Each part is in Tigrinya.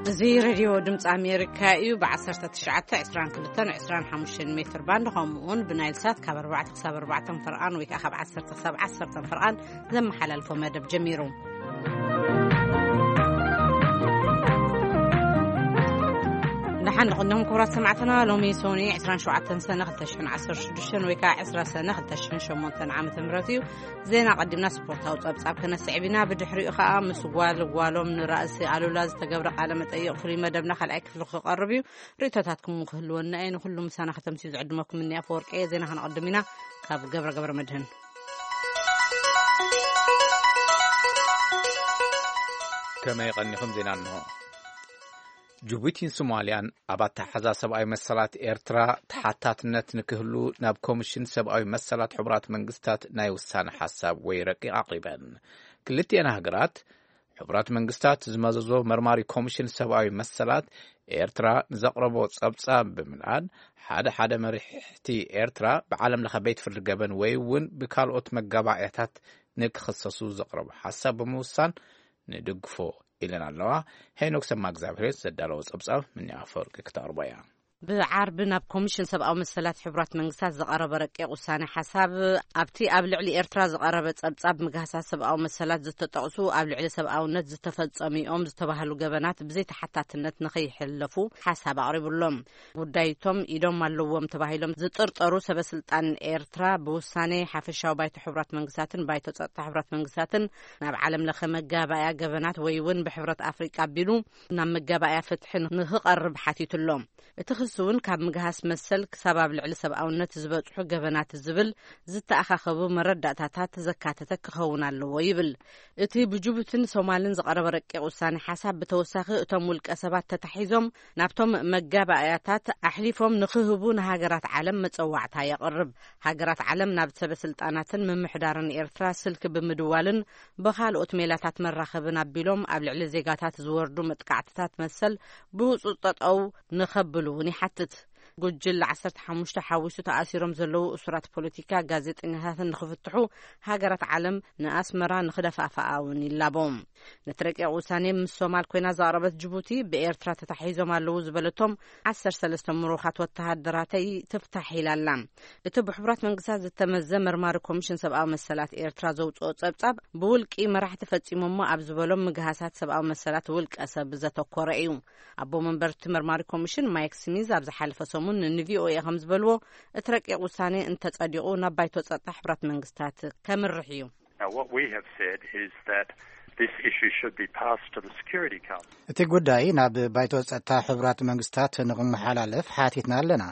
እዚ ሬድዮ ድምፂ ኣሜሪካ እዩ። ብ19፣ 22፣ 25 ሜትር ባንድ፣ ከምኡ እውን ብናይል ሳት ካብ ኣርባዕተ ክሳብ ኣርባዕተ ፈርቓን ወይ ከዓ ካብ ዓሰርተ ክሳብ ዓሰርተ ፈርቓን ዘመሓላልፎ መደብ ጀሚሩ። ደሓን ንቕድም ክቡራት ሰማዕትና፣ ሎሚ ሶኒ 27 ሰነ 2016 ወይ ከዓ 20 ሰነ 2008 ዓመተ ምህረት እዩ። ዜና ቀዲምና ስፖርታዊ ጸብጻብ ከነስዕብ ኢና። ብድሕሪኡ ኸኣ ምስ ጓል ጓሎም ንራእሲ ኣሉላ ዝተገብረ ቃለ መጠይቕ ፍሉይ መደብና ካልኣይ ክፍሊ ክቐርብ እዩ። ርእይቶታትኩም ክህልወና እየ። ንኹሉ ምሳና ከተምስዩ ዝዕድመኩም እኒ ኣፈወርቂ እየ። ዜና ከነቐድም ኢና። ካብ ገብረ ገብረ መድህን። ከመይ ቀኒኹም? ዜና እንሆ። ጅቡቲን ሶማልያን ኣብ ኣተሓዛ ሰብኣዊ መሰላት ኤርትራ ተሓታትነት ንክህሉ ናብ ኮሚሽን ሰብኣዊ መሰላት ሕቡራት መንግስታት ናይ ውሳነ ሓሳብ ወይ ረቂቕ ኣቕሪበን። ክልቲኤን ሃገራት፣ ሕቡራት መንግስታት ዝመዘዞ መርማሪ ኮሚሽን ሰብኣዊ መሰላት ኤርትራ ንዘቕረቦ ጸብጻብ ብምልኣን፣ ሓደ ሓደ መሪሕቲ ኤርትራ ብዓለም ለኸ ቤት ፍርዲ ገበን ወይ እውን ብካልኦት መጋባእያታት ንክኽሰሱ ዘቕረቦ ሓሳብ ብምውሳን ንድግፎ ኢለን ኣለዋ። ሄኖክ ሰማ እግዚኣብሔር ዘዳለዎ ጸብጻብ ምንያ ኣፈወርቂ ክተቕርቦ እያ። ብዓርቢ ናብ ኮሚሽን ሰብኣዊ መሰላት ሕቡራት መንግስታት ዝቐረበ ረቂቕ ውሳነ ሓሳብ፣ ኣብቲ ኣብ ልዕሊ ኤርትራ ዝቐረበ ጸብጻብ ምግሃሳት ሰብኣዊ መሰላት ዝተጠቕሱ ኣብ ልዕሊ ሰብኣውነት ዝተፈጸሙ እዮም ዝተባህሉ ገበናት ብዘይተሓታትነት ንኸይሕለፉ ሓሳብ ኣቕሪቡሎም። ጉዳይቶም ኢዶም ኣለዎም ተባሂሎም ዝጥርጠሩ ሰበስልጣን ኤርትራ ብውሳኔ ሓፈሻዊ ባይቶ ሕቡራት መንግስታትን ባይቶ ጸጥታ ሕቡራት መንግስታትን ናብ ዓለም ለኸ መጋባእያ ገበናት ወይ እውን ብሕብረት ኣፍሪቃ ኣቢሉ ናብ መጋባእያ ፍትሒ ንኽቐርብ ሓቲቱ ኣሎ። እቲ ክሲ እውን ካብ ምግሃስ መሰል ክሳብ ኣብ ልዕሊ ሰብኣውነት ዝበጽሑ ገበናት ዝብል ዝተኣኻኸቡ መረዳእታታት ዘካተተ ክኸውን ኣለዎ ይብል። እቲ ብጅቡትን ሶማልን ዝቐረበ ረቂቕ ውሳኔ ሓሳብ ብተወሳኺ እቶም ውልቀ ሰባት ተታሒዞም ናብቶም መጋባእያታት ኣሕሊፎም ንኽህቡ ንሃገራት ዓለም መጸዋዕታ የቕርብ። ሃገራት ዓለም ናብ ሰበ ስልጣናትን ምምሕዳርን ኤርትራ ስልኪ ብምድዋልን ብኻልኦት ሜላታት መራኸብን ኣቢሎም ኣብ ልዕሊ ዜጋታት ዝወርዱ መጥቃዕትታት መሰል ብህጹጽ ጠጠው ንኸብሉ እውን ይሓትት። ጉጅለ 15 ሓዊሱ ተኣሲሮም ዘለዉ እሱራት ፖለቲካ፣ ጋዜጠኛታትን ንኽፍትሑ ሃገራት ዓለም ንኣስመራ ንኽደፋፍኣ እውን ይላቦ። ነቲ ረቂቕ ውሳኔ ምስ ሶማል ኮይና ዘቕረበት ጅቡቲ፣ ብኤርትራ ተታሒዞም ኣለዉ ዝበለቶም 13 ምሩኻት ወተሃደራተይ ትፍታሕ ኢላ ኣላ። እቲ ብሕቡራት መንግስታት ዝተመዘ መርማሪ ኮሚሽን ሰብኣዊ መሰላት ኤርትራ ዘውፅኦ ጸብጻብ፣ ብውልቂ መራሕቲ ፈጺሞሞ ኣብ ዝበሎም ምግሃሳት ሰብኣዊ መሰላት ውልቀ ሰብ ዘተኮረ እዩ። ኣቦ መንበር እቲ መርማሪ ኮሚሽን ማይክ ስሚዝ ኣብ ዝሓለፈ ሰሙን ንቪኦኤ ከም ዝበልዎ፣ እቲ ረቂቕ ውሳኔ እንተጸዲቑ ናብ ባይቶ ጸጥታ ሕቡራት መንግስታት ከምርሕ እዩ። Now, what we have said is that this issue should be passed to the Security Council. እቲ ጉዳይ ናብ ባይቶ ጸጥታ ሕቡራት መንግስታት ንኽመሓላለፍ ሓቲትና ኣለና።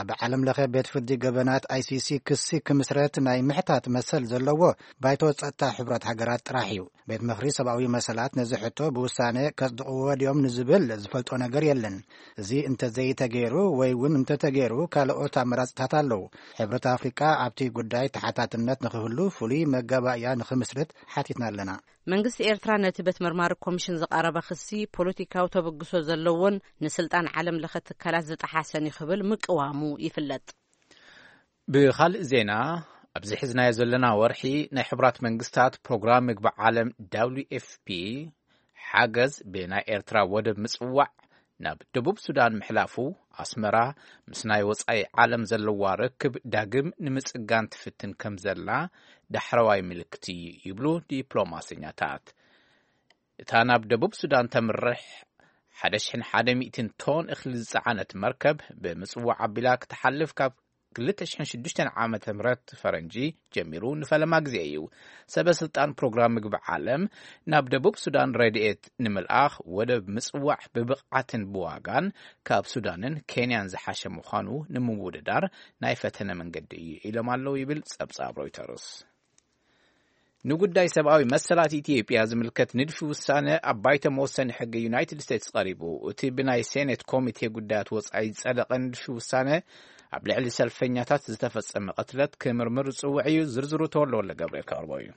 ኣብ ዓለም ለኸ ቤት ፍርዲ ገበናት፣ ኣይሲሲ፣ ክሲ ክምስረት ናይ ምሕታት መሰል ዘለዎ ባይቶ ጸጥታ ሕቡራት ሃገራት ጥራሕ እዩ። ቤት ምኽሪ ሰብኣዊ መሰላት ነዚ ሕቶ ብውሳነ ከጽድቕዎ ድዮም ንዝብል ዝፈልጦ ነገር የለን። እዚ እንተዘይተገይሩ ወይ እውን እንተተገይሩ ካልኦት ኣመራጽታት ኣለዉ። ሕብረት ኣፍሪቃ ኣብቲ ጉዳይ ተሓታትነት ንኽህሉ ፍሉይ መጋባእያ ንኽምስርት ሓቲትና ኣለና። መንግስቲ ኤርትራ ነቲ ቤት መርማሪ ኮሚሽን ዝቐረበ ክሲ ፖለቲካዊ ተበግሶ ዘለዎን ንስልጣን ዓለም ለኸ ትካላት ዝጠሓሰን እዩ ክብል ምቅዋሙ ይፍለጥ። ብኻልእ ዜና፣ ኣብዚ ሒዝናዮ ዘለና ወርሒ ናይ ሕቡራት መንግስታት ፕሮግራም ምግቢ ዓለም፣ ደብሊው ኤፍ ፒ፣ ሓገዝ ብናይ ኤርትራ ወደብ ምጽዋዕ ናብ ደቡብ ሱዳን ምሕላፉ፣ ኣስመራ ምስ ናይ ወጻኢ ዓለም ዘለዋ ርክብ ዳግም ንምጽጋን ትፍትን ከም ዘላ ዳሕረዋይ ምልክት እዩ ይብሉ ዲፕሎማሰኛታት። እታ ናብ ደቡብ ሱዳን ተምርሕ 1,100 ቶን እኽሊ ዝጸዓነት መርከብ ብምጽዋዕ ኣቢላ ክትሓልፍ ካብ 2006 ዓመተ ምህረት ፈረንጂ ጀሚሩ ንፈለማ ግዜ እዩ። ሰበ ስልጣን ፕሮግራም ምግቢ ዓለም፣ ናብ ደቡብ ሱዳን ረድኤት ንምልኣኽ ወደብ ምጽዋዕ ብብቕዓትን ብዋጋን ካብ ሱዳንን ኬንያን ዝሓሸ ምዃኑ ንምውድዳር ናይ ፈተነ መንገዲ እዩ ኢሎም ኣለዉ ይብል ጸብጻብ ሮይተርስ። ንጉዳይ ሰብኣዊ መሰላት ኢትዮጵያ ዝምልከት ንድፊ ውሳነ ኣብ ባይቶ መወሰኒ ሕጊ ዩናይትድ ስቴትስ ቀሪቡ። እቲ ብናይ ሴኔት ኮሚቴ ጉዳያት ወጻኢ ዝጸደቐ ንድፊ ውሳነ፣ ኣብ ልዕሊ ሰልፈኛታት ዝተፈጸመ ቅትለት ክምርምር ዝጽውዕ እዩ። ዝርዝሩ ተወልደ ወልደ ገብርኤል ከቕርቦ እዩ።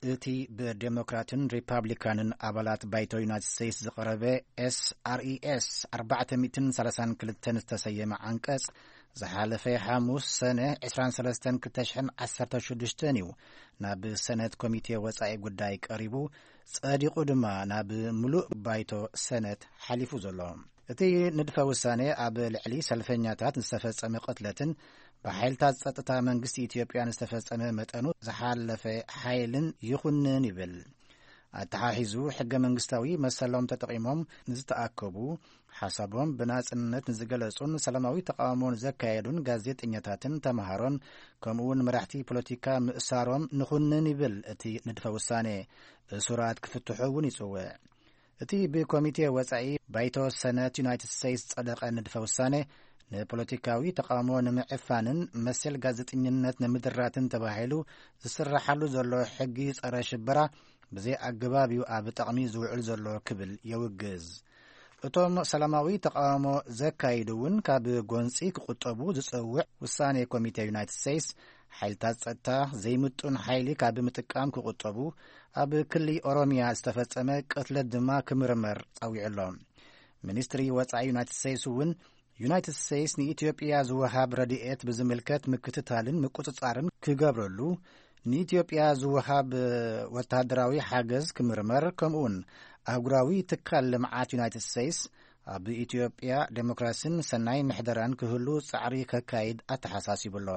እቲ ብዴሞክራትን ሪፓብሊካንን ኣባላት ባይቶ ዩናይትድ ስቴትስ ዝቐረበ ኤስኣርኢኤስ 432 ዝተሰየመ ዓንቀጽ፣ ዝሓለፈ ሓሙስ ሰነ ዕስራን ሰለስተን ክልተ ሽሕን ዓሰርተ ሽዱሽተን እዩ ናብ ሰነት ኮሚቴ ወጻኢ ጉዳይ ቀሪቡ፣ ጸዲቑ ድማ ናብ ምሉእ ባይቶ ሰነት ሓሊፉ ዘሎ። እቲ ንድፈ ውሳኔ ኣብ ልዕሊ ሰልፈኛታት ዝተፈጸመ ቅትለትን ብሓይልታት ጸጥታ መንግስቲ ኢትዮጵያን ዝተፈጸመ መጠኑ ዝሓለፈ ሓይልን ይኹንን ይብል። ኣተሓሒዙ፣ ሕገ መንግስታዊ መሰሎም ተጠቒሞም ንዝተኣከቡ፣ ሓሳቦም ብናጽነት ንዝገለጹን ሰላማዊ ተቓውሞ ንዘካየዱን ጋዜጠኛታትን ተምሃሮን፣ ከምኡውን መራሕቲ ፖለቲካ ምእሳሮም ንኹንን ይብል እቲ ንድፈ ውሳኔ። እሱራት ክፍትሑ እውን ይጽውዕ። እቲ ብኮሚቴ ወጻኢ ባይቶ ሰነት ዩናይትድ ስቴትስ ዝጸደቐ ንድፈ ውሳኔ፣ ንፖለቲካዊ ተቓውሞ ንምዕፋንን መሰል ጋዜጠኝነት ንምድራትን ተባሂሉ ዝስራሓሉ ዘሎ ሕጊ ጸረ ሽበራ ብዘይ ኣገባብ እዩ ኣብ ጥቕሚ ዝውዕል ዘሎ ክብል የውግዝ። እቶም ሰላማዊ ተቓውሞ ዘካይዱ እውን ካብ ጎንጺ ክቁጠቡ ዝጸውዕ ውሳኔ ኮሚቴ ዩናይትድ ስቴትስ፣ ሓይልታት ጸጥታ ዘይምጡን ሓይሊ ካብ ምጥቃም ክቁጠቡ፣ ኣብ ክሊ ኦሮሚያ ዝተፈጸመ ቅትለት ድማ ክምርመር ጸዊዑ ኣሎ። ሚኒስትሪ ወጻኢ ዩናይትድ ስቴትስ እውን ዩናይትድ ስቴትስ ንኢትዮጵያ ዝወሃብ ረድኤት ብዝምልከት ምክትታልን ምቁጽጻርን ክገብረሉ፣ ንኢትዮጵያ ዝወሃብ ወተሃደራዊ ሓገዝ ክምርመር፣ ከምኡውን ኣህጉራዊ ትካል ልምዓት ዩናይትድ ስቴትስ ኣብ ኢትዮጵያ ዴሞክራሲን ሰናይ ምሕደራን ክህሉ ጻዕሪ ከካይድ ኣተሓሳሲቡ ኣሎ።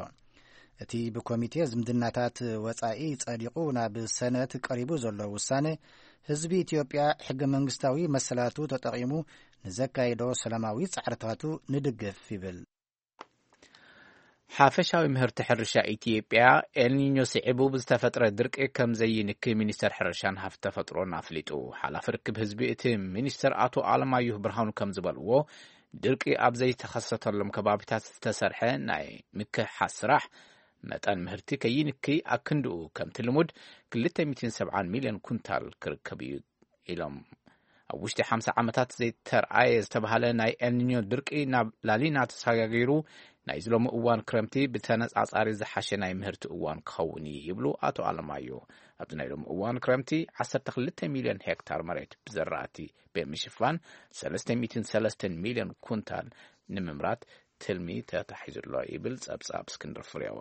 እቲ ብኮሚቴ ዝምድናታት ወጻኢ ጸዲቑ ናብ ሰነት ቀሪቡ ዘሎ ውሳነ፣ ህዝቢ ኢትዮጵያ ሕገ መንግስታዊ መሰላቱ ተጠቒሙ ንዘካይዶ ሰላማዊ ጻዕርታቱ ንድግፍ ይብል። ሓፈሻዊ ምህርቲ ሕርሻ ኢትዮጵያ ኤልኒኞ ስዒቡ ብዝተፈጥረ ድርቂ ከም ዘይንኪ ሚኒስተር ሕርሻን ሃፍቲ ተፈጥሮን ኣፍሊጡ። ሓላፊ ርክብ ህዝቢ እቲ ሚኒስተር ኣቶ ኣለማየሁ ብርሃኑ ከም ዝበልዎ፣ ድርቂ ኣብ ዘይተኸሰተሎም ከባቢታት ዝተሰርሐ ናይ ምክሕሓስ ስራሕ መጠን ምህርቲ ከይንኪ ኣክንድኡ ከምቲ ልሙድ ክልተ ሚእትን ሰብዓን ሚልዮን ኩንታል ክርከብ እዩ ኢሎም። ኣብ ውሽጢ ሓምሳ ዓመታት ዘይተርኣየ ዝተባህለ ናይ ኤልኒኞ ድርቂ ናብ ላሊና ተሰጋጊሩ፣ ናይዚ ሎሚ እዋን ክረምቲ ብተነጻጻሪ ዝሓሸ ናይ ምህርቲ እዋን ክኸውን እዩ ይብሉ ኣቶ ኣለማዮ። ኣብዚ ናይ ሎሚ እዋን ክረምቲ ዓሰርተ ክልተ ሚልዮን ሄክታር መሬት ብዘራእቲ ብምሽፋን ሰለስተ ሚእትን ሰለስተን ሚልዮን ኩንታል ንምምራት ትልሚ ተታሒዙ ኣሎ ይብል ጸብጻብ እስክንድር ፍሬው።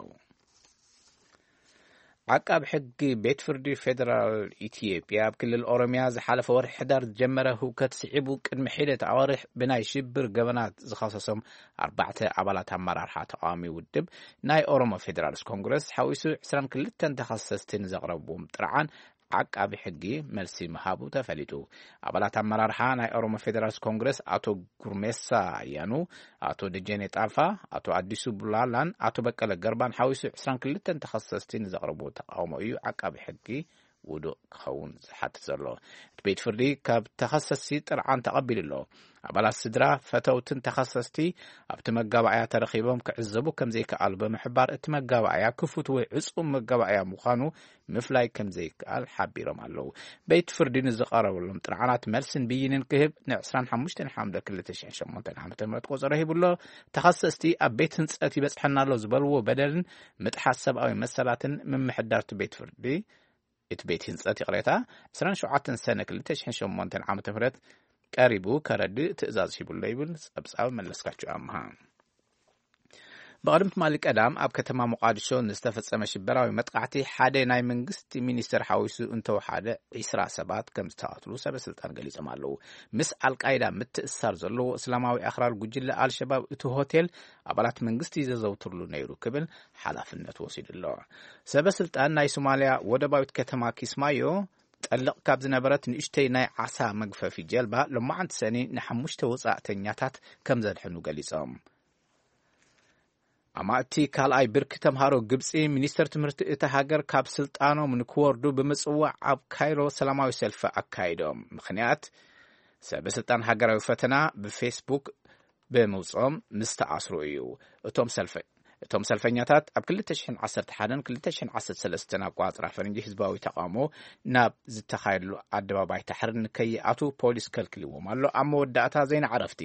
ዓቃብ ሕጊ ቤት ፍርዲ ፌደራል ኢትዮጵያ ኣብ ክልል ኦሮሚያ ዝሓለፈ ወርሒ ሕዳር ዝጀመረ ህውከት ስዒቡ ቅድሚ ሒደት ኣዋርሕ ብናይ ሽብር ገበናት ዝኸሰሶም ኣርባዕተ ኣባላት ኣመራርሓ ተቃዋሚ ውድብ ናይ ኦሮሞ ፌደራልስ ኮንግረስ ሓዊሱ ዕስራን ክልተን ተኸሰስቲ ንዘቕረብዎም ጥርዓን ዓቃቢ ሕጊ መልሲ ምሃቡ ተፈሊጡ። ኣባላት ኣመራርሓ ናይ ኦሮሞ ፌደራልስ ኮንግረስ ኣቶ ጉርሜሳ ኣያኑ፣ ኣቶ ደጀኔ ጣፋ፣ ኣቶ ኣዲሱ ቡላላን ኣቶ በቀለ ገርባን ሓዊሱ ዕስራን ክልተን ተኸሰስቲ ንዘቕረብዎ ተቃውሞ እዩ ዓቃቢ ሕጊ ውዱእ ክኸውን ዝሓትት ዘሎ። እቲ ቤት ፍርዲ ካብ ተኸሰስቲ ጥርዓን ተቐቢሉ ኣሎ። ኣባላት ስድራ፣ ፈተውትን ተኸሰስቲ ኣብቲ መጋባእያ ተረኺቦም ክዕዘቡ ከም ዘይከኣሉ ብምሕባር፣ እቲ መጋባእያ ክፉት ወይ ዕጹም መጋባእያ ምዃኑ ምፍላይ ከም ዘይከኣል ሓቢሮም ኣለዉ። ቤት ፍርዲ ንዝቐረበሎም ጥርዓናት መልስን ብይንን ክህብ ን ዕስራን ሓሙሽተን ሓምለ ክልተ ሽሕን ሸሞንተን ዓመተ ምህረት ቆጸሮ ሂቡ ኣሎ። ተኸሰስቲ ኣብ ቤት ህንጸት ይበጽሐና ኣሎ ዝበልዎ በደልን ምጥሓስ ሰብኣዊ መሰላትን ምምሕዳር እቲ ቤት ፍርዲ፣ እቲ ቤት ህንጸት ይቕሬታ፣ ዕስራን ሸውዓተን ሰነ ክልተ ሽሕን ሸሞንተን ዓመተ ምህረት ቀሪቡ ከረድእ ትእዛዝ ሂቡ ኣሎ ይብል ጸብጻብ መለስካቸው ኣምሃ። ብቐደም ትማሊ ቀዳም ኣብ ከተማ ሞቃዲሾ ንዝተፈጸመ ሽበራዊ መጥቃዕቲ ሓደ ናይ መንግስቲ ሚኒስተር ሓዊሱ እንተወሓደ ዒስራ ሰባት ከም ዝተቐትሉ ሰበ ስልጣን ገሊጾም ኣለዉ። ምስ ኣልቃይዳ ምትእስሳር ዘለዎ እስላማዊ ኣኽራሪ ጉጅለ ኣልሸባብ እቲ ሆቴል ኣባላት መንግስቲ ዘዘውትርሉ ነይሩ ክብል ሓላፍነት ወሲዱ ኣሎ። ሰበ ስልጣን ናይ ሶማልያ ወደባዊት ከተማ ኪስማዮ ጠልቕ ካብ ዝነበረት ንእሽተይ ናይ ዓሳ መግፈፊ ጀልባ ሎማዓንቲ ሰኒ ንሓሙሽተ ወጻእተኛታት ከም ዘድሐኑ ገሊጾም። ኣማእቲ ካልኣይ ብርኪ ተምሃሮ ግብጺ፣ ሚኒስተር ትምህርቲ እታ ሃገር ካብ ስልጣኖም ንክወርዱ ብምጽዋዕ ኣብ ካይሮ ሰላማዊ ሰልፊ ኣካይዶም። ምኽንያት፣ ሰበ ስልጣን ሃገራዊ ፈተና ብፌስቡክ ብምውጽኦም ምስ ተኣስሩ እዩ። እቶም ሰልፈ-፣ እቶም ሰልፈኛታት ኣብ ክልተ ሽሕን ዓሰርተ ሓደን ክልተ ሽሕን ዓሰርተ ሰለስተን ኣቆጻጽራ ፈረንጂ ህዝባዊ ተቃውሞ ናብ ዝተኻየደሉ ኣደባባይ ታሕሪር ንከይኣትዉ ፖሊስ ከልክልዎም ኣሎ። ኣብ መወዳእታ ዜና ዕረፍቲ።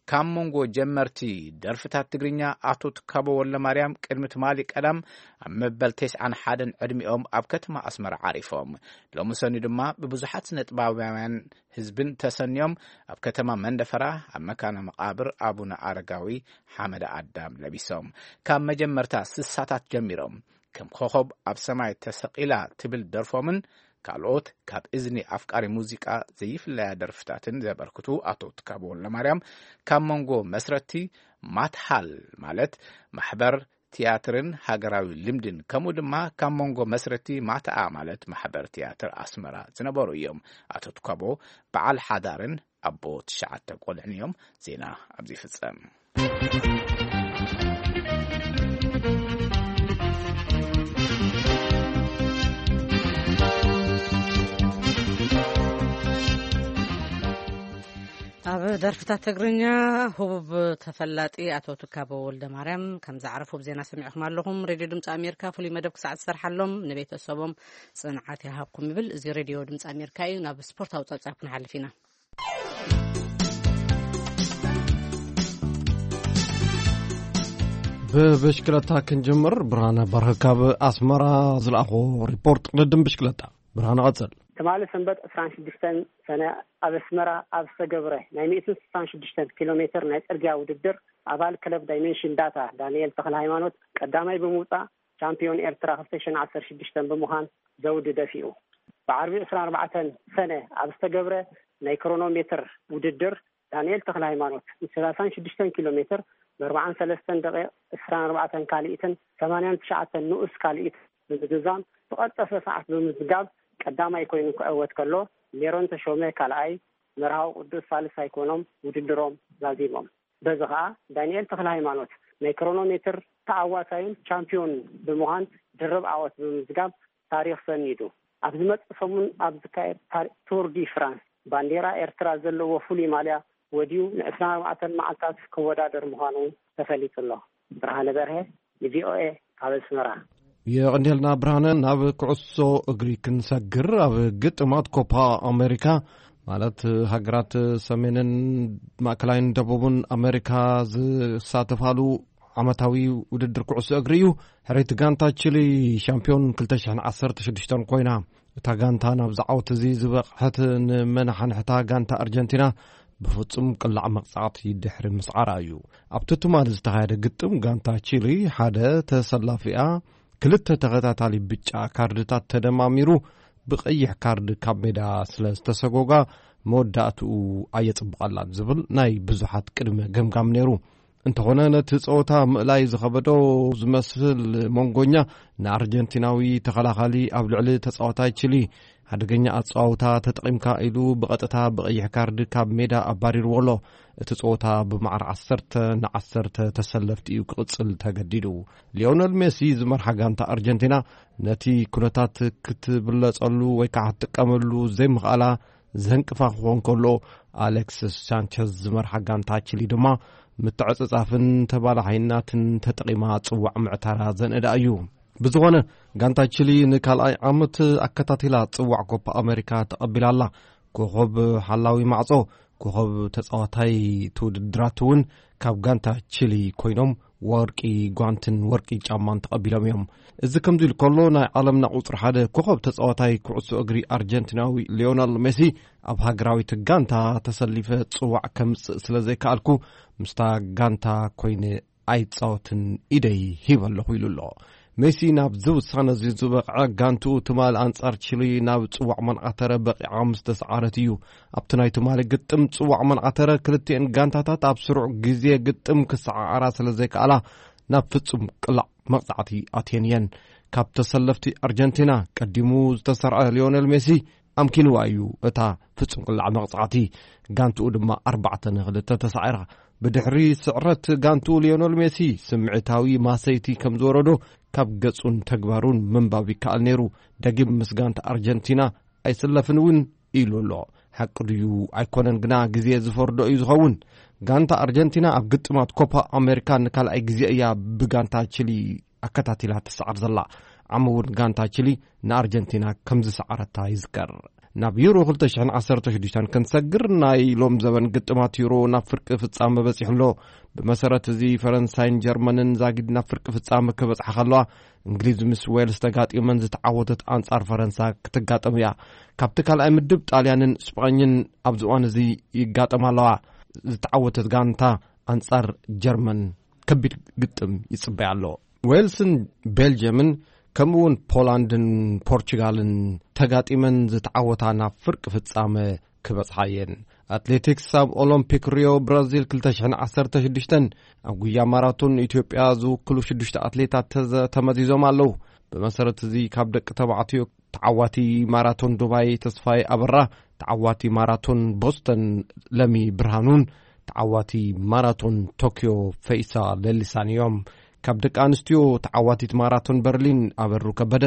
ካብ መንጎ ጀመርቲ ደርፍታት ትግርኛ ኣቶ ትካቦ ወልደማርያም ቅድሚ ትማሊ ቀዳም ኣብ መበል ተስዓን ሓደን ዕድሚኦም ኣብ ከተማ ኣስመራ ዓሪፎም። ሎሚ ሰኑይ ድማ ብብዙሓት ስነ ጥበባውያን ህዝብን ተሰንዮም ኣብ ከተማ መንደፈራ ኣብ መካነ መቓብር ኣቡነ ኣረጋዊ ሓመደ ኣዳም ለቢሶም። ካብ መጀመርታ ስሳታት ጀሚሮም ከም ኮኸብ ኣብ ሰማይ ተሰቒላ ትብል ደርፎምን ካልኦት ካብ እዝኒ ኣፍቃሪ ሙዚቃ ዘይፍለያ ደርፍታትን ዘበርክቱ ኣቶ ትካቦ ወልደማርያም፣ ካብ መንጎ መስረቲ ማትሃል ማለት ማሕበር ትያትርን ሃገራዊ ልምድን፣ ከምኡ ድማ ካብ መንጎ መስረቲ ማትኣ ማለት ማሕበር ትያትር ኣስመራ ዝነበሩ እዮም። ኣቶ ትካቦ በዓል ሓዳርን ኣቦ ትሽዓተ ቆልዕን እዮም። ዜና ኣብዚ ይፍጸም። ኣብ ደርፍታት ትግርኛ ህቡብ ተፈላጢ ኣቶ ትካቦ ወልደ ማርያም ከም ዝዓረፉ ብዜና ሰሚዕኹም ኣለኹም። ሬድዮ ድምፂ ኣሜሪካ ፍሉይ መደብ ክሳዕ ዝሰርሓሎም ንቤተሰቦም ጽንዓት ይሃብኩም ይብል። እዚ ሬድዮ ድምፂ ኣሜሪካ እዩ። ናብ ስፖርታዊ ጸብጻብ ክንሓልፍ ኢና። ብብሽክለታ ክንጅምር። ብርሃነ በርሀ ካብ ኣስመራ ዝለኣኾ ሪፖርት ቅድድም ብሽክለታ። ብርሃነ፣ ቀጽል። ትማሊ ሰንበት ዕስራን ሽዱሽተን ሰነ ኣብ ኣስመራ ኣብ ዝተገብረ ናይ ሚእትን ስሳን ሽዱሽተን ኪሎ ሜትር ናይ ጽርግያ ውድድር፣ ኣባል ክለብ ዳይሜንሽን ዳታ ዳንኤል ተኽለ ሃይማኖት ቀዳማይ ብምውጻእ፣ ቻምፒዮን ኤርትራ ክልተ ሽሕን ዓሰርተ ሽዱሽተን ብምዃን ዘውዲ ደፊኡ። ብዓርቢ ዕስራን ኣርባዕተን ሰነ ኣብ ዝተገብረ ናይ ክሮኖ ሜትር ውድድር፣ ዳንኤል ተኽለ ሃይማኖት ንሰላሳን ሽዱሽተን ኪሎ ሜትር ብኣርባዓን ሰለስተን ደቂቕ ዕስራን ኣርባዕተን ካልኢትን ሰማንያን ትሽዓተን ንኡስ ካልኢት ብምዝዛም፣ ዝቐልጠፈ ሰዓት ብምዝጋብ ቀዳማይ ኮይኑ ክዕወት ከሎ፣ ሜሮን ተሾመ ካልኣይ፣ መርሃዊ ቅዱስ ሳልሳይ ኮይኖም ውድድሮም ዛዚሞም። በዚ ኸኣ ዳንኤል ተኽለ ሃይማኖት ናይ ክሮኖ ሜትር ተዓዋታይን ቻምፒዮን ብምዃን ድርብ ዓወት ብምምዝጋብ ታሪኽ ሰኒዱ። ኣብ ዝመጽእ ሰሙን ኣብ ዝካየድ ታሪ-፣ ቱር ዲ ፍራንስ፣ ባንዴራ ኤርትራ ዘለዎ ፍሉይ ማልያ ወድዩ ንዕስራን ኣርባዕተን መዓልታት ክወዳደር ምዃኑ ተፈሊጡ ኣሎ። ብርሃነ በርሀ፣ ንቪኦኤ፣ ካብ ኣስመራ። የቐንየልና ብርሃነ። ናብ ኩዕሶ እግሪ ክንሰግር። ኣብ ግጥማት ኮፓ ኣሜሪካ፣ ማለት ሃገራት ሰሜንን ማእከላይን ደቡብን ኣሜሪካ ዝሳተፋሉ ዓመታዊ ውድድር ኩዕሶ እግሪ እዩ። ሕርይቲ ጋንታ ቺሊ ሻምፒዮን ክልተ ሽሕን ዓሰርተ ሽዱሽተን ኮይና። እታ ጋንታ ናብዚ ዓወት እዚ ዝበቕሐት ንመናሓንሕታ ጋንታ ኣርጀንቲና ብፍጹም ቅላዕ መቕጻዕቲ ድሕሪ ምስዓራ እዩ። ኣብቲ ትማሊ ዝተኻየደ ግጥም፣ ጋንታ ቺሊ ሓደ ተሰላፊኣ ክልተ ተኸታታሊ ብጫ ካርድታት ተደማሚሩ ብቐይሕ ካርድ ካብ ሜዳ ስለ ዝተሰጎጋ፣ መወዳእትኡ ኣየጽብቐላን ዝብል ናይ ብዙሓት ቅድመ ገምጋም ነይሩ። እንተኾነ፣ ነቲ ጸወታ ምእላይ ዝኸበዶ ዝመስል መንጎኛ፣ ንኣርጀንቲናዊ ተኸላኻሊ ኣብ ልዕሊ ተጻዋታይ ቺሊ ሓደገኛ ኣጸዋውታ ተጠቒምካ ኢሉ ብቐጥታ ብቐይሕ ካርድ ካብ ሜዳ ኣባሪርዎ ኣሎ። እቲ ጸወታ ብማዕረ ዓሰርተ ንዓሰርተ ተሰለፍቲ እዩ ክቕጽል ተገዲዱ። ሊዮነል ሜሲ ዝመርሓ ጋንታ ኣርጀንቲና ነቲ ኩነታት ክትብለጸሉ ወይ ከዓ ክትጥቀመሉ ዘይምኽኣላ ዘንቅፋ ክኾን ከሎ፣ ኣሌክስስ ሳንቸዝ ዝመርሓ ጋንታ ቺሊ ድማ ምትዕጽጻፍን ተባላሓይናትን ተጠቒማ ጽዋዕ ምዕታራ ዘንእዳ እዩ። ብዝኾነ፣ ጋንታ ቺሊ ንካልኣይ ዓመት ኣከታቲላ ጽዋዕ ኮፓ ኣሜሪካ ተቐቢላ ኣላ። ኮኸብ ሓላዊ ማዕጾ፣ ኮኸብ ተጻዋታይ እቲ ውድድራት እውን ካብ ጋንታ ቺሊ ኮይኖም፣ ወርቂ ጓንትን ወርቂ ጫማን ተቐቢሎም እዮም። እዚ ከምዚ ኢሉ ከሎ፣ ናይ ዓለምና ቁጽሪ ሓደ ኮኸብ ተጻዋታይ ኩዕሶ እግሪ ኣርጀንቲናዊ ሊዮነል ሜሲ፣ ኣብ ሃገራዊት ጋንታ ተሰሊፈ ጽዋዕ ከምጽእ ስለ ዘይከኣልኩ፣ ምስታ ጋንታ ኮይነ ኣይጻወትን፣ ኢደይ ሂበ ኣለኹ ኢሉ ኣሎ። ሜሲ ናብዚ ውሳነ እዚ ዝበቕዐ፣ ጋንትኡ ትማሊ ኣንጻር ቺሊ ናብ ጽዋዕ መንዓተረ በቒዓ ምስ ተሰዓረት እዩ። ኣብቲ ናይ ትማሊ ግጥም ጽዋዕ መንዓተረ፣ ክልቲኤን ጋንታታት ኣብ ስሩዕ ግዜ ግጥም ክሰዓዓራ ስለ ዘይከኣላ፣ ናብ ፍጹም ቅላዕ መቕጻዕቲ ኣትየን እየን። ካብ ተሰለፍቲ ኣርጀንቲና ቀዲሙ ዝተሰርዐ ሊዮኔል ሜሲ ኣምኪንዋ እዩ እታ ፍጹም ቅላዕ መቕጻዕቲ። ጋንትኡ ድማ ኣርባዕተ ንኽልተ ተሳዒራ። ብድሕሪ ስዕረት ጋንትኡ፣ ሊዮኔል ሜሲ ስምዒታዊ ማሰይቲ ከም ዝወረዶ ካብ ገጹን ተግባሩን ምንባብ ይከኣል ነይሩ። ደጊም ምስ ጋንታ ኣርጀንቲና ኣይስለፍን እውን ኢሉ ኣሎ። ሓቂ ድዩ ኣይኮነን ግና ግዜ ዝፈርዶ እዩ ዝኸውን። ጋንታ ኣርጀንቲና ኣብ ግጥማት ኮፓ ኣሜሪካ ንካልኣይ ግዜ እያ ብጋንታ ቺሊ ኣከታቲላ ትሰዓር ዘላ። ዓሚ እውን ጋንታ ቺሊ ንኣርጀንቲና ከም ዝሰዓረታ ይዝከር። ናብ ዩሮ ክልተ ሽሕን ዓሰርተ ሽዱሽተን ክንሰግር፣ ናይ ሎም ዘበን ግጥማት ዩሮ ናብ ፍርቂ ፍጻመ በጺሑ ኣሎ። ብመሰረት እዚ፣ ፈረንሳይን ጀርመንን ዛጊድ ናብ ፍርቂ ፍጻመ ክበጽሓ ከለዋ፣ እንግሊዝ ምስ ዌልስ ተጋጢመን ዝተዓወተት ኣንጻር ፈረንሳ ክትጋጠም እያ። ካብቲ ካልኣይ ምድብ፣ ጣልያንን ስጳኝን ኣብዚ እዋን እዚ ይጋጠማ ኣለዋ። ዝተዓወተት ጋንታ ኣንጻር ጀርመን ከቢድ ግጥም ይጽበያ ኣሎ። ዌልስን ቤልጅየምን ከምኡውን ፖላንድን ፖርቹጋልን ተጋጢመን ዝተዓወታ ናብ ፍርቂ ፍጻመ ክበጽሓ እየን። ኣትሌቲክስ፣ ኣብ ኦሎምፒክ ሪዮ ብራዚል ክልተ ሽሕን ዓሰርተ ሽዱሽተን ኣብ ጉያ ማራቶን ኢትዮጵያ ዝውክሉ ሽዱሽተ ኣትሌታት ተዘ-፣ ተመዚዞም ኣለዉ። ብመሰረት እዚ፣ ካብ ደቂ ተባዕትዮ ተዓዋቲ ማራቶን ዱባይ ተስፋይ ኣበራ፣ ተዓዋቲ ማራቶን ቦስተን ለሚ ብርሃኑን ተዓዋቲ ማራቶን ቶክዮ ፈይሳ ለሊሳን እዮም። ካብ ደቂ ኣንስትዮ፣ ተዓዋቲት ማራቶን በርሊን ኣበሩ ከበደ፣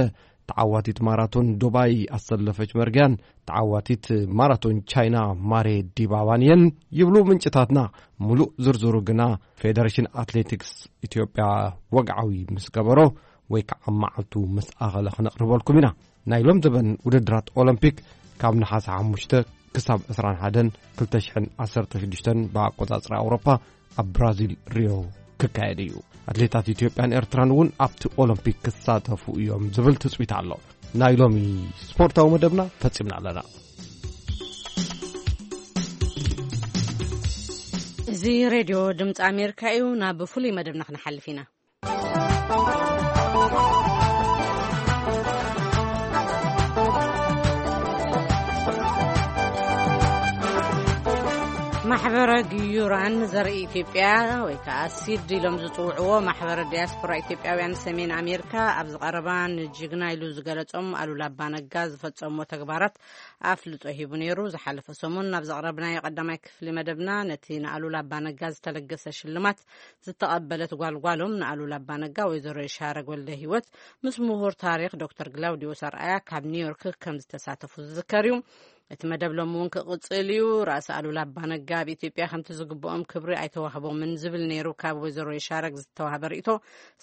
ተዓዋቲት ማራቶን ዱባይ ኣሰለፈች መርጊያን፣ ተዓዋቲት ማራቶን ቻይና ማሬ ዲባባን እየን ይብሉ ምንጭታትና። ሙሉእ ዝርዝሩ ግና ፌደሬሽን ኣትሌቲክስ ኢትዮጵያ ወግዓዊ ምስ ገበሮ ወይ ከዓ መዓልቱ ምስ ኣኸለ ክነቕርበልኩም ኢና። ናይ ሎም ዘበን ውድድራት ኦሎምፒክ ካብ ነሓሰ ሓሙሽተ ክሳብ ዕስራን ሓደን ክልተ ሽሕን ዓሰርተ ሽዱሽተን ብኣቆጻጽራ ኣውሮፓ ኣብ ብራዚል ሪዮ ክካየድ እዩ። ኣትሌታት ኢትዮጵያን ኤርትራን እውን ኣብቲ ኦሎምፒክ ክሳተፉ እዮም ዝብል ትጽቢት ኣሎ። ናይ ሎሚ ስፖርታዊ መደብና ፈጺምና ኣለና። እዚ ሬድዮ ድምፂ ኣሜሪካ እዩ። ናብ ፍሉይ መደብና ክንሓልፍ ኢና። ማሕበረ ግዩራን ዘርኢ ኢትዮጵያ ወይ ከዓ ሲድ ኢሎም ዝፅውዕዎ ማሕበረ ዲያስፖራ ኢትዮጵያውያን ሰሜን ኣሜሪካ ኣብዚ ቀረባ ንጅግና ኢሉ ዝገለጾም ኣሉላ ኣባነጋ ዝፈጸምዎ ተግባራት ኣፍልጦ ሂቡ ነይሩ። ዝሓለፈ ሰሙን ናብ ዘቕረብናዮ ቀዳማይ ክፍሊ መደብና ነቲ ንኣሉላ ኣባነጋ ዝተለገሰ ሽልማት ዝተቐበለት ጓልጓሎም ንኣሉላ ኣባነጋ ወይዘሮ የሻረግ ወልደ ህይወት ምስ ምሁር ታሪኽ ዶክተር ግላውዲዮስ ኣርኣያ ካብ ኒውዮርክ ከም ዝተሳተፉ ዝዝከር እዩ። እቲ መደብ ሎም እውን ክቕጽል እዩ። ራእሲ ኣሉላ ኣባነጋ ኣብ ኢትዮጵያ ከምቲ ዝግብኦም ክብሪ ኣይተዋህቦምን ዝብል ነይሩ። ካብ ወይዘሮ የሻረግ ዝተዋህበ ርእይቶ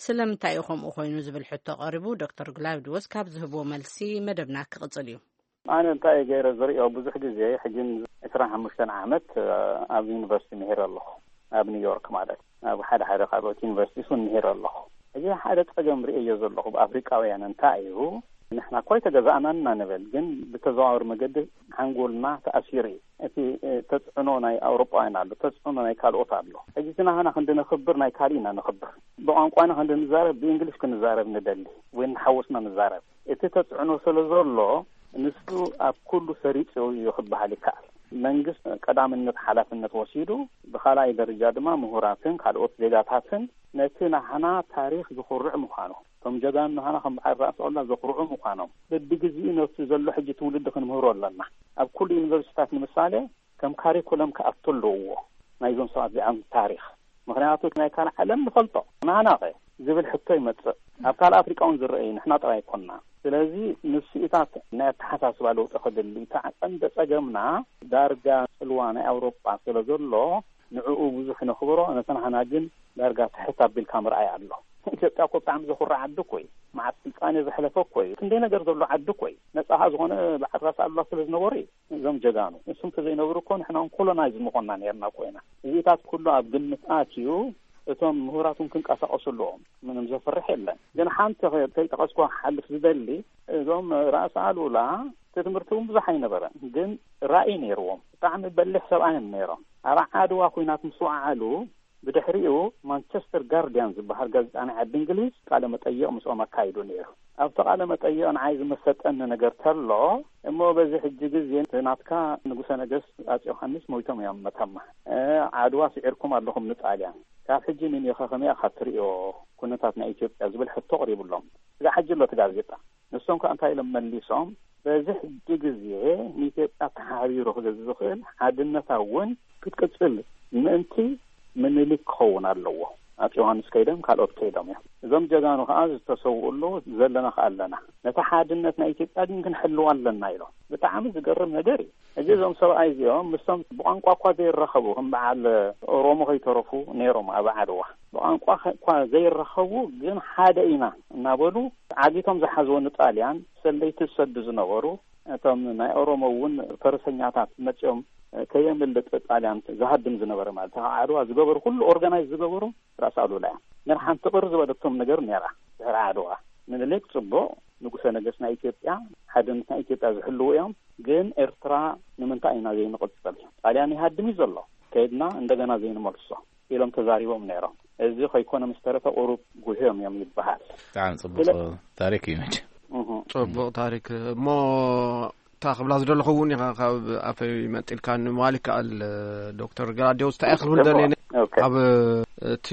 ስለምንታይ እዩ ከምኡ ኮይኑ ዝብል ሕቶ ቀሪቡ። ዶክተር ግላውዲዮስ ካብ ዝህብዎ መልሲ መደብና ክቕጽል እዩ። ኣነ እንታይ ገይረ ዝሪኦ፣ ብዙሕ ግዜ ሕጂ ዕስራን ሓሙሽተን ዓመት ኣብ ዩኒቨርሲቲ ምሂረ ኣለኹ፣ ኣብ ኒውዮርክ ማለት፣ ኣብ ሓደ ሓደ ካልኦት ዩኒቨርሲቲስ እውን ምሂረ ኣለኹ። ሕጂ ሓደ ጸገም ርእየዮ ዘለኹ ብኣፍሪቃውያን እንታይ እዩ፣ ንሕና እኮ ኣይተገዛእናን ኢና ንብል፣ ግን ብተዘዋወሪ መገዲ ሓንጎልና ተኣሲሩ እዩ። እቲ ተጽዕኖ ናይ ኣውሮጳውያን ኣሎ፣ ተጽዕኖ ናይ ካልኦት ኣሎ። ሕጂ እቲ ናህና ክንዲ ነኽብር ናይ ካልእ ኢና ነኽብር። ብቋንቋና ክንዲ ንዛረብ ብእንግሊሽ ክንዛረብ ንደሊ ወይ ንሓወስና ንዛረብ። እቲ ተጽዕኖ ስለ ዘሎ ንሱ ኣብ ኩሉ ሰሪጹ እዩ ክበሃል ይከኣል። መንግስት ቀዳምነት ሓላፍነት ወሲዱ፣ ብኻልኣይ ደረጃ ድማ ምሁራትን ካልኦት ዜጋታትን ነቲ ናህና ታሪኽ ዝኹርዕ ምዃኑ፣ እቶም ጀጋኑ ናህና ከም በዓል ራእሲ ኣሉላ ዘኹርዑ ምዃኖም በብግዜኡ ነቲ ዘሎ ሕጂ ትውልዲ ክንምህሮ ኣለና። ኣብ ኩሉ ዩኒቨርሲታት ንምሳሌ ከም ካሪኩለም ክኣቱ ኣለዎ። ናይዞም ሰባት እዚኣም ታሪኽ፣ ምኽንያቱ ናይ ካልእ ዓለም ንፈልጦ፣ ናህናኸ ዝብል ሕቶ ይመጽእ። ኣብ ካልእ ኣፍሪቃ እውን ዝረኣዩ ንሕና ጥራይ ኣይኮንና። ስለዚ ንስኢታት ናይ ኣተሓሳስባ ለውጢ ክድሊ፣ እቲ ቀንዲ ጸገምና ዳርጋ ጽልዋ ናይ ኣውሮጳ ስለ ዘሎ ንዕኡ ብዙሕ ነኽብሮ፣ ነቲ ናህና ግን ዳርጋ ትሕት ኣቢልካ ምርኣይ ኣሎ። ኢትዮጵያ እኮ ብጣዕሚ ዘኹርዕ ዓዲ እኮ እዩ። መዓት ስልጣኔ ዘሕለፈ እኮ እዩ። ክንደይ ነገር ዘሎ ዓዲ እኮ እዩ። ነጻ ዝኾነ በዓል ራእሲ ኣሉላ ስለ ዝነበሩ እዩ። እዞም ጀጋኑ እሱም ተዘይነብሩ እኮ ንሕና እውን ኮሎናይዝ ምኾንና ነርና እኮ ኢና። እዚታት ኩሉ ኣብ ግምት ኣትዩ እቶም ምሁራት እውን ክንቀሳቀሱ ኣለዎም። ምንም ዘፍርሕ የለን። ግን ሓንቲ ከ-፣ ከይጠቀስኩ ክሓልፍ ዝደሊ፣ እዞም ራእሲ ኣሉላ እቲ ትምህርቲ እውን ብዙሕ ኣይነበረን፣ ግን ራእይ ነይርዎም። ብጣዕሚ በሊሕ ሰብኣይ እዮም ነይሮም። ኣብ ዓድዋ ኩናት ምስ ወዓሉ ብድሕሪኡ ማንቸስተር ጋርዲያን ዝበሃል ጋዜጣ ናይ ዓዲ እንግሊዝ ቃለ መጠይቕ ምስኦም ኣካይዱ ነይሩ። ኣብቲ ቃለ መጠይቕ ንዓይ ዝመሰጠኒ ነገር ተሎ፣ እሞ በዚ ሕጂ ግዜ እቲ ናትካ ንጉሰ ነገስት ኣፄ ዮሃንስ ሞይቶም እዮም መተማ። እ፣ ዓድዋ ስዒርኩም ኣለኹም ንጣልያን። ካብ ሕጂ ንኒኸ ከመይ ኢኻ ትርእዮ ኩነታት ናይ ኢትዮጵያ ዝብል ሕቶ ኣቕሪቡሎም። እዛ ሕጂ ኣሎ እቲ ጋዜጣ። ንሶም ከኣ እንታይ ኢሎም መሊሶም? በዚ ሕጂ ግዜ ንኢትዮጵያ ተሓቢሩ ክገዝ ዝኽእል ሓድነታ እውን ክትቅጽል ምእንቲ ምኒልክ ክኸውን ኣለዎ። ኣፄ ዮሃንስ ከይዶም ካልኦት ከይዶም እዮም። እዞም ጀጋኑ ከኣ ዝተሰውኡ ኣለዉ፣ ዘለና ከኣ ኣለና። ነቲ ሓድነት ናይ ኢትዮጵያ ግን ክንሕልዋ ኣለና ኢሎም። ብጣዕሚ ዝገርም ነገር እዩ። ሕጂ እዞም ሰብኣይ እዚኦም ምስቶም ብቋንቋ እኳ ዘይራኸቡ፣ ከም በዓል ኦሮሞ ከይተረፉ ነይሮም ኣብ ዓድዋ። ብቋንቋ ከ-፣ እኳ ዘይራኸቡ ግን ሓደ ኢና እናበሉ ዓጊቶም ዝሓዝዎ ንጣልያን ሰለይቲ ዝሰዱ ዝነበሩ እቶም ናይ ኦሮሞ እውን ፈረሰኛታት መጺኦም ከየምልጥ ጣልያን ዝሃድም ዝነበረ ማለት፣ ካብ ዓድዋ ዝገበሩ ኩሉ ኦርጋናይዝ ዝገበሩ ራስ ኣሉላ እዮም። ግን ሓንቲ ቅር ዝበለቶም ነገር ነይራ። ድሕሪ ዓድዋ ምኒልክ ጽቡቕ፣ ንጉሰ ነገስት ናይ ኢትዮጵያ፣ ሓድነት ናይ ኢትዮጵያ ዝሕልዉ እዮም። ግን ኤርትራ ንምንታይ ኢና ዘይንቕጽል? ጣልያን ይሃድም እዩ ዘሎ። ከይድና እንደገና ዘይንመልሶ ኢሎም ተዛሪቦም ነይሮም። እዚ ከይኮነ ምስ ተረፈ ቁሩብ ጉህዮም እዮም ይበሃል። ብጣዕሚ ጽቡቕ ስለ- ታሪክ እዩ መቸም። እሁ። ጽቡቕ ታሪክ እሞ፣ እታ ክብላ ዝደለኹ እውን ኢኻ ካብ ኣፈይ መንጢልካ ንምባል ይከኣል። ዶክተር ገላዲዮስ እንታይ ክብል ጽቡቕ። ደልየ ኦኬ። ኣብ እቲ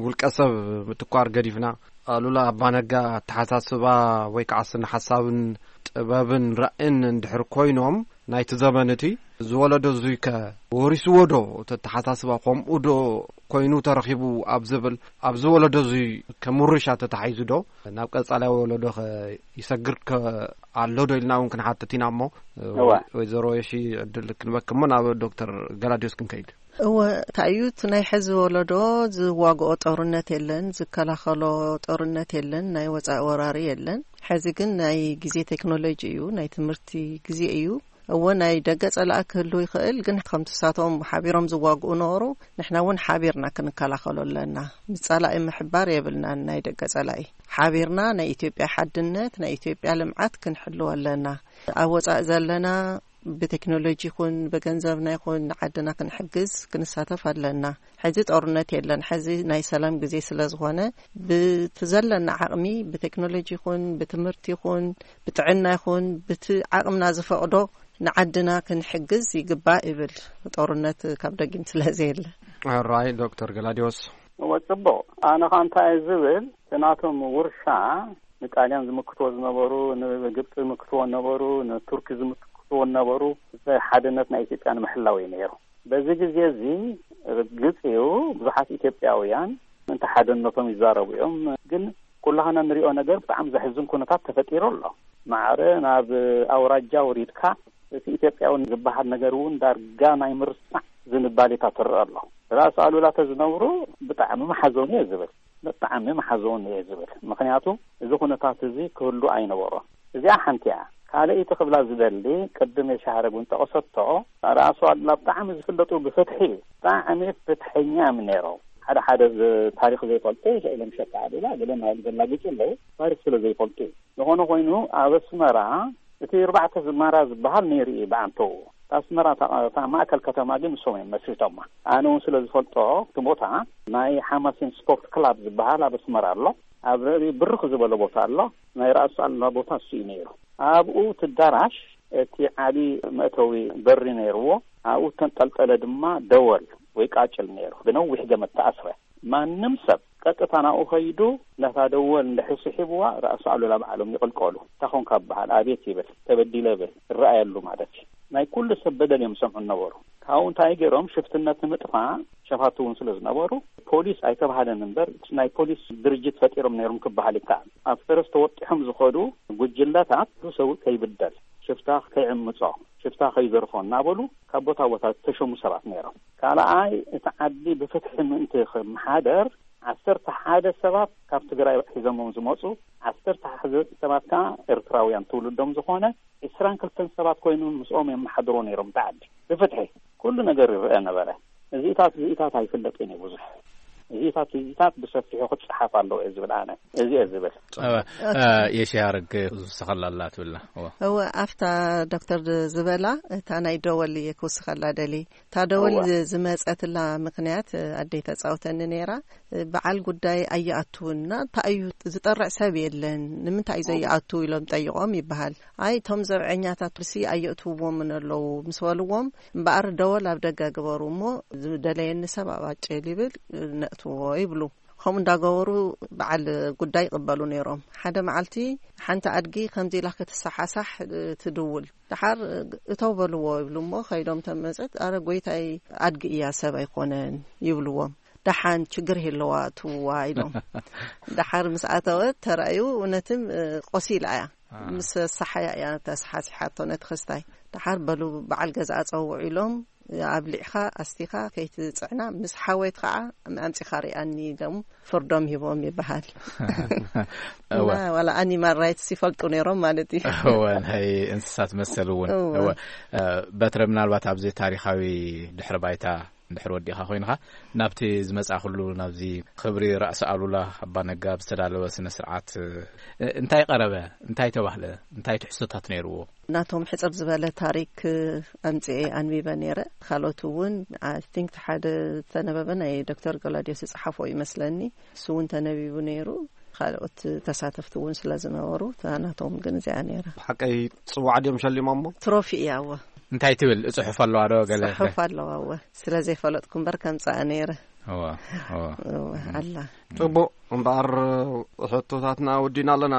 ውልቀ ሰብ ምትኳር ገዲፍና፣ ኣሉላ ኣባነጋ ኣተሓሳስባ ወይ ከዓ ስነ ሓሳብን ጥበብን ራእን እንድሕር ኮይኖም፣ ናይቲ ዘመን እቲ ዝወለዶ እዙይ ከ ወሪስዎ ዶ? እቲ ኣተሓሳስባ ከምኡ ዶ ኮይኑ ተረኺቡ ኣብ ዝብል፣ ኣብዚ ወለዶ እዙይ ከምርሻ ተታሒዙ ዶ ናብ ቀጻላይ ወለዶ ከ ይሰግር ከ ኣሎ ዶ ኢልና እውን ክንሓትት ኢና እሞ፣ እዋ። ወይዘሮ የሺ ዕድል ክንበክሞ ናብ ዶክተር ገላዲዮስ ክንከይድ። እወ፣ እንታይ እዩ እቲ ናይ ሕዚ ወለዶ ዝዋግኦ ጦርነት የለን፣ ዝከላኸሎ ጦርነት የለን፣ ናይ ወፃኢ ወራሪ የለን። ሕዚ ግን ናይ ግዜ ቴክኖሎጂ እዩ፣ ናይ ትምህርቲ ግዜ እዩ። እወ፣ ናይ ደገ ጸላኢ ክህሉ ይኽእል፣ ግን ከምቲ ንሳቶም ሓቢሮም ዝዋግኡ ነበሩ፣ ንሕና እውን ሓቢርና ክንከላኸሎ ኣለና። ምስ ጸላኢ ምሕባር የብልናን። ናይ ደገ ጸላኢ ሓቢርና ናይ ኢትዮጵያ ሓድነት፣ ናይ ኢትዮጵያ ልምዓት ክንሕልዎ ኣለና። ኣብ ወጻኢ ዘለና ብቴክኖሎጂ ይኹን ብገንዘብና ይኹን ንዓድና ክንሕግዝ ክንሳተፍ ኣለና። ሕዚ ጦርነት የለን። ሕዚ ናይ ሰላም ግዜ ስለ ዝኾነ፣ ብቲ ዘለና ዓቕሚ፣ ብቴክኖሎጂ ይኹን ብትምህርቲ ይኹን ብጥዕና ይኹን ብቲ ዓቕምና ዝፈቕዶ ንዓድና ክንሕግዝ ይግባእ ይብል። ጦርነት ካብ ደጊም ስለ ዘየለ። ራይ ዶክተር ገላዲዮስ። እወ፣ ጽቡቕ። ኣነ ኸኣ እንታይ እየ ዝብል፣ እቲ ናቶም ውርሻ ንጣልያን ዝምክትዎ ዝነበሩ፣ ንግብጺ ዝምክትዎ ነበሩ፣ ንቱርኪ ዝምክትዎ ነበሩ፣ ሓድነት ናይ ኢትዮጵያ ንምሕላው እዩ ነይሩ። በዚ ግዜ እዚ ርግጽ እዩ፣ ብዙሓት ኢትዮጵያውያን እንተ ሓድነቶም ይዛረቡ እዮም። ግን ኩላህና ንሪኦ ነገር ብጣዕሚ ዘሕዝን ኩነታት ተፈጢሩ ኣሎ። ማዕረ ናብ ኣውራጃ ወሪድካ እቲ ኢትዮጵያዊ ዝበሃል ነገር እውን ዳርጋ ናይ ምርሳዕ ዝንባሌታት ትረአ ኣሎ። ራስ ኣሉላ ተዝነብሩ ብጣዕሚ ምሓዘኑ እየ ዝብል። ብጣዕሚ ምሓዘኑ እየ ዝብል። ምኽንያቱ እዚ ኩነታት እዚ ክህሉ ኣይነበሮን። እዚኣ ሓንቲ እያ። ካልኣይቲ ክብላ ዝደሊ፣ ቅድም የሻሃረግ እውን ጠቐሰቶ፣ ራሱ ኣሉላ ብጣዕሚ ዝፍለጡ ብፍትሒ፣ ብጣዕሚ ፍትሐኛ እዮም ነይሮም። ሓደ ሓደ ዝ-፣ ታሪኽ ዘይፈልጡ፣ ስእሎም ሸቃ ኣሉላ ገለ ማለት ዘላግጹ ኣለዉ፣ ታሪኽ ስለ ዘይፈልጡ እዩ። ዝኾነ ኮይኑ፣ ኣብ ኣስመራ እቲ ኣርባዕተ ዝማራ ዝበሃል ነይሩ እዩ ብኣንተኡ። ኣስመራ እታ፣ እታ ማእከል ከተማ ግን ንሶም እዮም መስሪቶማ። ኣነ እውን ስለ ዝፈልጦ፣ እቲ ቦታ ናይ ሓማሴን ስፖርት ክላብ ዝበሃል ኣብ ኣስመራ ኣሎ። ኣብ ልዕሊ ብርኽ ዝበለ ቦታ ኣሎ። ናይ ራእሲ ኣሉላ ቦታ እሱ እዩ ነይሩ። ኣብኡ እቲ ኣዳራሽ፣ እቲ ዓቢ መእተዊ በሪ ነይርዎ። ኣብኡ እተንጠልጠለ ድማ ደወል ወይ ቃጭል ነይሩ። ብነዊሕ ገመድ ተኣስረ። ማንም ሰብ ቀጥታ ናብኡ ከይዱ ነታ ደወል እንድሕር ስሒብዋ፣ ራእሲ ኣሉላ ባዕሎም ይቕልቀሉ። እንታይ ኾንካ ይበሃል፣ ኣቤት ይብል፣ ተበዲለ ይብል፣ ይረኣየሉ ማለት እዩ። ናይ ኩሉ ሰብ በደል እዮም ዝሰምዑ ነበሩ። ካብኡ እንታይ ገይሮም፣ ሽፍትነት ንምጥፋእ ሸፋቱ እውን ስለ ዝነበሩ፣ ፖሊስ ኣይተባህለን እምበር፣ ናይ ፖሊስ ድርጅት ፈጢሮም ነይሮም ክበሃል ይከኣል። ኣብ ፈረስ ተወጢሖም ዝኸዱ ጉጅለታት፣ ኩሉ ሰብ ከይብደል፣ ሽፍታ ከይዕምጾ፣ ሽፍታ ከይዘርፎ እናበሉ ካብ ቦታ ቦታ ዝተሸሙ ሰባት ነይሮም። ካልኣይ፣ እቲ ዓዲ ብፍትሒ ምእንቲ ክመሓደር፣ ዓሰርተ ሓደ ሰባት ካብ ትግራይ ሒዞሞም ዝመፁ፣ ዓሰርተ ሓደ ሰባት ከዓ ኤርትራውያን ትውልዶም ዝኾነ፣ ዕስራን ክልተን ሰባት ኮይኖም ምስኦም የመሓድሩ ነይሮም። እቲ ዓዲ ብፍትሒ ኩሉ ነገር ይረአ ነበረ። እዚታት፣ እዚታት ኣይፍለጥን እዩ ብዙሕ። እዚታት፣ እዚታት ብሰፊሑ ክፀሓፍ ኣለዎ እየ ዝብል ኣነ። እዚ እየ ዝብል። ጸባ፣ ኦኬ። እ፣ የሺ ያረግ ዝውስኸላ ኣላ ትብልና። እወ። እወ፣ ኣብታ ዶክተር ዝበላ፣ እታ ናይ ደወል እየ ክውስኸላ ደሊ። እታ ደወል እወ። ዝ-፣ ዝመጸትላ ምኽንያት፣ እ፣ ኣደይ ተጻውተኒ ነይራ። እ፣ በዓል ጉዳይ ኣይኣትውን እና እንታይ እዩ ዝጠርዕ ሰብ የለን፣ ንምንታይ እዩ ኦ። ዘይኣቱ ኢሎም ጠይቖም ይበሃል። ኣይ፣ እቶም ዘብዐኛታት ሲ ኣየእትውዎምን ኣለዉ ምስ በልዎም፣ እምበኣር ደወል ኣብ ደገ ግበሩ እሞ ዝደለየኒ ሰብ ኣብ ኣጭል ይብል፣ እ፣ ነእትዎ ይብሉ። ከምኡ እንዳገበሩ በዓል ጉዳይ ይቕበሉ ነይሮም። ሓደ መዓልቲ ሓንቲ ኣድጊ ከምዚ ኢላ ክትሰሓሳሕ፣ እ፣ ትድውል። ደሓር፣ እ፣ እተው በልዎ ይብሉ እሞ ከይዶም ተመጸት፣ "ኣረ ጎይታይ፣ ኣድጊ እያ፣ ሰብ ኣይኮነን" ይብልዎም። "ደሓን ችግር የለዋ፣ እትውዋ" ኢሎም። ደሓር ምስ ኣተወት ተራእዩ እውነትም፣ እ፣ ቆሲላ እያ። አ። ምስ ሰሓያ እያ ተሰሓሲሓቶ ነቲ ክስታይ። ደሓር በሉ በዓል ገዛኣ ጸውዑ ኢሎም ኣብሊዕኻ ኣስቲኻ ከይትጽዕና፣ ምስ ሓወይት ከዓ ኣምጺኻ ሪኣኒ ኢሎም ፍርዶም ሂቦም ይበሃል። እወ። እና ዋላ ኣኒማል ራይትስ ይፈልጡ ነይሮም ማለት እዩ። እወ፣ ናይ እንስሳት መሰል እውን። እወ። እወ። እ፣ በትረ፣ ምናልባት ኣብዚ ታሪኻዊ ድሕሪ ባይታ እንድሕር ወዲእኻ ኮይንኻ፣ ናብቲ ዝመጻእኩሉ፣ ናብዚ ክብሪ ራእሲ ኣሉላ ኣባ ነጋ ብዝተዳለወ ስነ ስርዓት፣ እ፣ እንታይ ቀረበ? እንታይ ተባህለ? እንታይ ትሕዝቶታት ነይርዎ? ናቶም ሕጽር ዝበለ ታሪክ ኣምጽኤ ኣንቢበ ነይረ። ካልኦት እውን፣ I think፣ ሓደ ዝተነበበ ናይ ዶክተር ገላዲዮስ ዝጸሓፎ ይመስለኒ። እሱ እውን ተነቢቡ ነይሩ። ካልኦት ተሳተፍቲ እውን ስለ ዝነበሩ፣ እታ ናቶም ግን እዚኣ ነይራ። ብሓቀይ ጽዋዕ ድዮም ሸሊሞሞ? ትሮፊ እያ፣ እወ። እንታይ ትብል? ጽሑፍ ኣለዋ ዶ ገለ? ጽሑፍ ኣለዋ፣ እወ። ስለ ዘይፈለጥኩ እምበር ከምጽኣ ነይረ። እወ፣ እወ። እወ፣ ኣላ። ጽቡቕ፣ እምበኣር ሕቶታትና ወዲና ኣለና።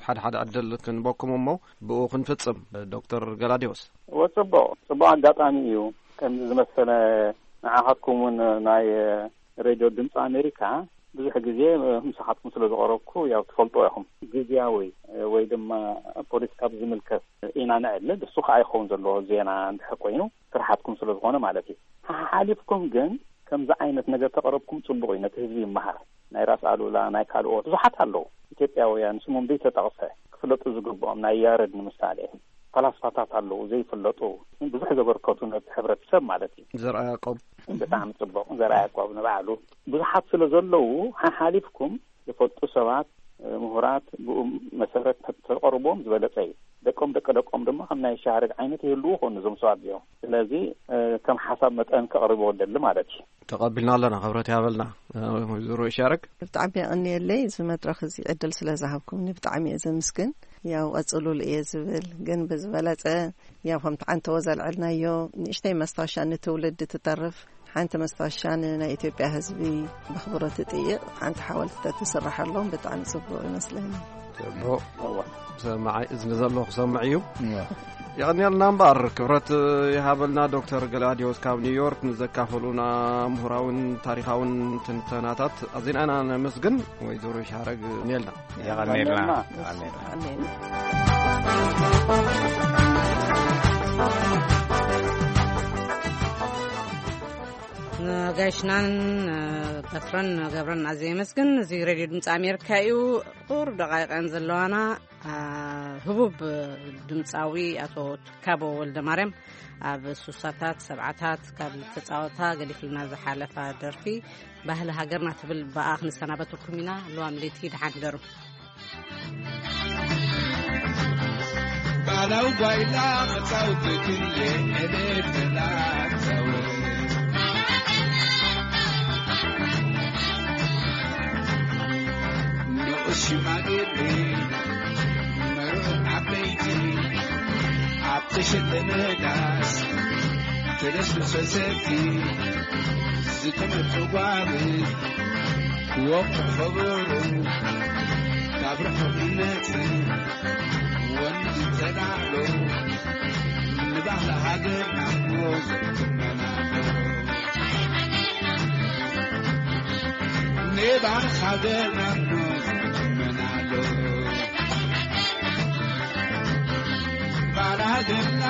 ሓደ ሓደ ዕድል ክንበኩም እሞ ብኡ ክንፍጽም። ዶክተር ገላዲዮስ። እወ፣ ጽቡቕ፣ ጽቡቕ ኣጋጣሚ እዩ። ከምዚ ዝመሰለ ንዓኻትኩም እውን ናይ ሬድዮ ድምፂ ኣሜሪካ ብዙሕ ግዜ ምሳኻትኩም ስለ ዝቐረብኩ ያው ትፈልጡ ኢኹም። ግዝያዊ ወይ ድማ ፖለቲካ ብዝምልከት ኢና ነዕልል። እሱ ከዓ ይኸውን ዘለዎ ዜና እንድሕር ኮይኑ ስራሓትኩም ስለ ዝኾነ ማለት እዩ። ሓሓሊፍኩም ግን ከምዚ ዓይነት ነገር ተቐረብኩም ጽቡቕ እዩ፣ ነቲ ህዝቢ ይመሃር። ናይ ራስ ኣሉላ፣ ናይ ካልኦት ብዙሓት ኣለዉ ኢትዮጵያውያን ስሞም ዘይተጠቕሰ ክፍለጡ ዝግብኦም፣ ናይ ያረድ ንምሳሌ። ፈላስፋታት ኣለዉ ዘይፍለጡ፣ ብዙሕ ዘበርከቱ ነቲ ሕብረተሰብ ማለት እዩ። ዘርኣ ያዕቆብ። ብጣዕሚ ጽቡቕ። ዘርኣ ያዕቆብ ንባዕሉ ብዙሓት ስለ ዘለዉ፣ ሓሓሊፍኩም ዝፈልጡ ሰባት፣ ምሁራት፣ ብኡ መሰረት ተቐርቦም ዝበለጸ እዩ። ደቆም ደቂ ደቆም ድማ ከም ናይ ሻህረግ ዓይነት ይህልዉ ኾኑ እዞም ሰባት እዚኦም። ስለዚ፣ እ፣ ከም ሓሳብ መጠን ከቕርቦ ደሊ ማለት እዩ። ተቐቢልና ኣለና፣ ክብረት ይሃበልና። እ፣ ወይዘሮ ይሻረግ። ብጣዕሚ የቐንየለይ፣ እዚ መድረኽ እዚ ዕድል ስለ ዝሃብኩምኒ ብጣዕሚ እየ ዘምስግን። ያው ቀጽሉሉ እየ ዝብል፣ ግን ብዝበለጸ ያው ከምቲ ዓንተዎ ዘልዐልናዮ ንእሽተይ መስታወሻ ንትውልዲ ትተርፍ ሓንቲ መስታወሻ ንናይ ኢትዮጵያ ህዝቢ ብኽብሮ ትጥይቕ ሓንቲ ሓወልቲ ተትስርሓሎም ብጣዕሚ ጽቡቕ ይመስለኒ። ጽቡቕ። እወ። ሰማዓይ እዝኒ ዘለዎ ክሰምዕ እዩ። እወ። የቐንየልና እምበኣር፣ ክብረት ይሃበልና ዶክተር ገላዲዮስ ካብ ኒውዮርክ ንዘካፈሉና ምሁራውን ታሪኻውን ትንተናታት ኣዚና ኢና ነመስግን። ወይዘሮ ይሻረግ የቐንየልና። የቐንየልና። የቐንየልና። ኣሜን። ንጋይሽናን በትረን ገብረን ኣዝየ የመስግን። እዚ ሬድዮ ድምፂ ኣሜሪካ እዩ። ቁር ደቃይቀን ዘለዋና፣ አ፣ ህቡብ ድምፃዊ ኣቶ ትካቦ ወልደ ማርያም ኣብ ሱሳታት ሰብዓታት ካብ ዝተፃወታ ገዲፍልና ዝሓለፋ ደርፊ ባህሊ ሃገርና ትብል ብኣ ክንሰናበተኩም ኢና። ለዋም ለይቲ ደሓን ሕደሩ። ባህላዊ ጓይላ መጻወቲ ክንየ ዕልል ተላጸወ። ንኡስ ሽማግሌ መርዑ ዓበይቲ ኣብ ተሸለመ ዳስ ተደስቶ ሰሰቲ ዝተመርጡ ጓል ወቅቱ ኸበሮ ካብ ርሑቕ ይመጽእ ወንዝ ተጋዕሎ ንባህሊ ሃገርና ሞዘ ትመናሎ። ንባህሊ ሃገርና ሞዘ ትመናሎ። ባላገና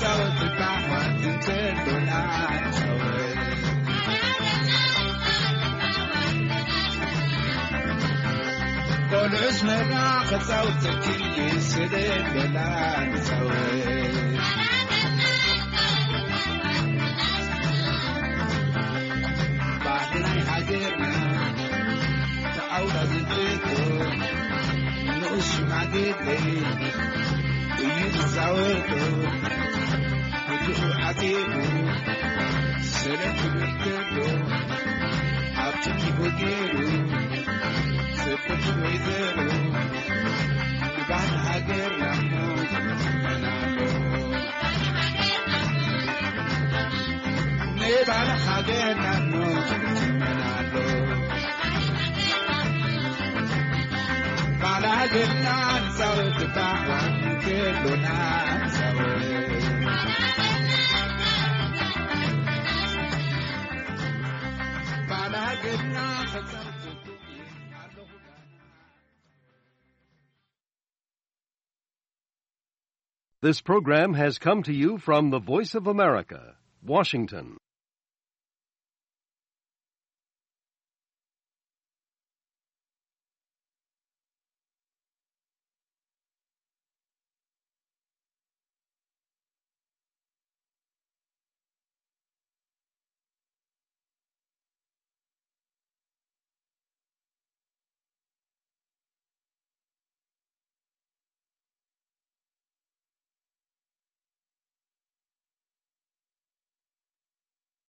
ጻወት ባሕዋት እንተሎና ጻወት። ቆልዑስ መራ ክጻወት ተኪል ስለሎና ጻወት። ባህሊ ናይ ሃገርና ተኣውራ ዝብቶ ንኡስ ሽማግሌ እዩ ዝዛወቶ። ብድኡ ዓጢቑ ሰለቱ ብልተሎ ኣብ ትኪ ወጌሩ ጽብቕቲ ወይዘሮ ንባህሊ ሃገርና እሞ ትመናሎ። ንባህሊ ሃገርና እሞ ትመናሎ። ባላገና ንጻወት ባሕዋን ከሎና ንጻወት። ባላገና ክጻወት ኣለኹ። This program has come to you from the Voice of America, Washington.